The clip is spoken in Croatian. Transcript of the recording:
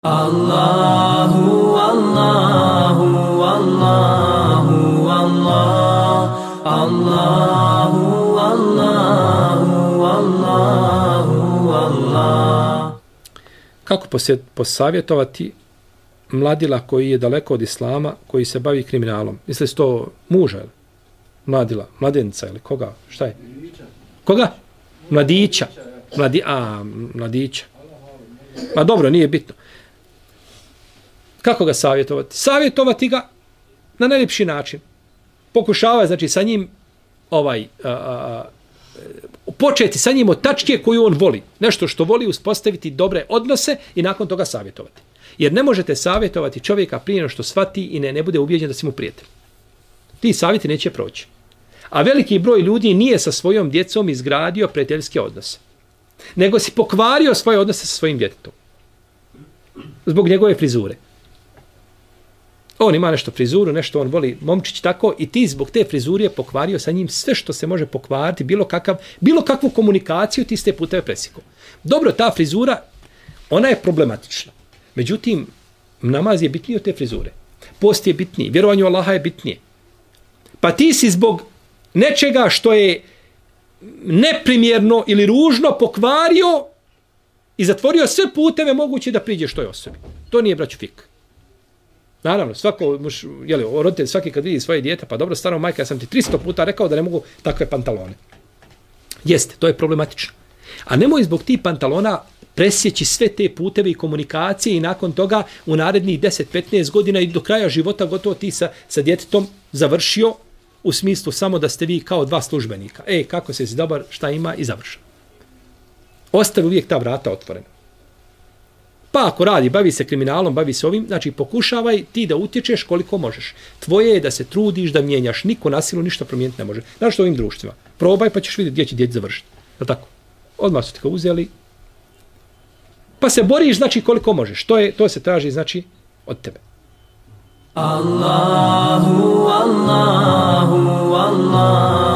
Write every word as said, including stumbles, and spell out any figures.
Allahu, Allahu, Allahu, Allah, Allahu, Allahu, Allahu, Allah. Kako posavjetovati mladila koji je daleko od islama, koji se bavi kriminalom? Misli se to muža ili mladila, mladenca ili koga? Šta je? Koga? Mladića. Mladi, a, mladića. Ma dobro, nije bitno. Kako ga savjetovati? Savjetovati ga na najljepši način. Pokušava, znači, sa njim ovaj, a, a, početi sa njim od tačke koju on voli. Nešto što voli, uspostaviti dobre odnose i nakon toga savjetovati. Jer ne možete savjetovati čovjeka prije nego što shvati i ne, ne bude ubijeđen da si mu prijatelj. Ti savjeti neće proći. A veliki broj ljudi nije sa svojom djecom izgradio prijateljske odnose. Nego si pokvario svoje odnose sa svojim djetetom. Zbog njegove frizure. On ima nešto frizuru, nešto on voli, momčić tako, i ti zbog te frizure pokvario sa njim sve što se može pokvariti, bilo, kakav, bilo kakvu komunikaciju ti ste puteve presjekao. Dobro, ta frizura, ona je problematična. Međutim, namaz je bitniji od te frizure. Post je bitniji, vjerovanje u Allaha je bitnije. Pa ti si zbog nečega što je neprimjerno ili ružno pokvario i zatvorio sve puteve moguće da priđeš toj osobi. To nije, braću, fik. Naravno, svako, muš, jeli, roditelj svaki kad vidi svoje dijete, pa dobro, staro majka, ja sam ti tristo puta rekao da ne mogu takve pantalone. Jeste, to je problematično. A nemoj zbog tih pantalona presjeći sve te puteve i komunikacije i nakon toga u narednih deset do petnaest godina i do kraja života gotovo ti sa, sa djetetom završio u smislu samo da ste vi kao dva službenika. Ej, kako se si dobar, šta ima i završa. Ostavi uvijek ta vrata otvorena. Pa ako radi, bavi se kriminalom, bavi se ovim, znači pokušavaj ti da utječeš koliko možeš. Tvoje je da se trudiš, da mijenjaš. Niko na silu ništa promijeniti ne može. Znaš što ovim društvima? Probaj pa ćeš vidjeti gdje će djeti završiti. Je tako? Odmah su ti ga uzeli. Pa se boriš, znači koliko možeš. To, je, to se traži, znači, od tebe. Allahu, Allahu, Allahu.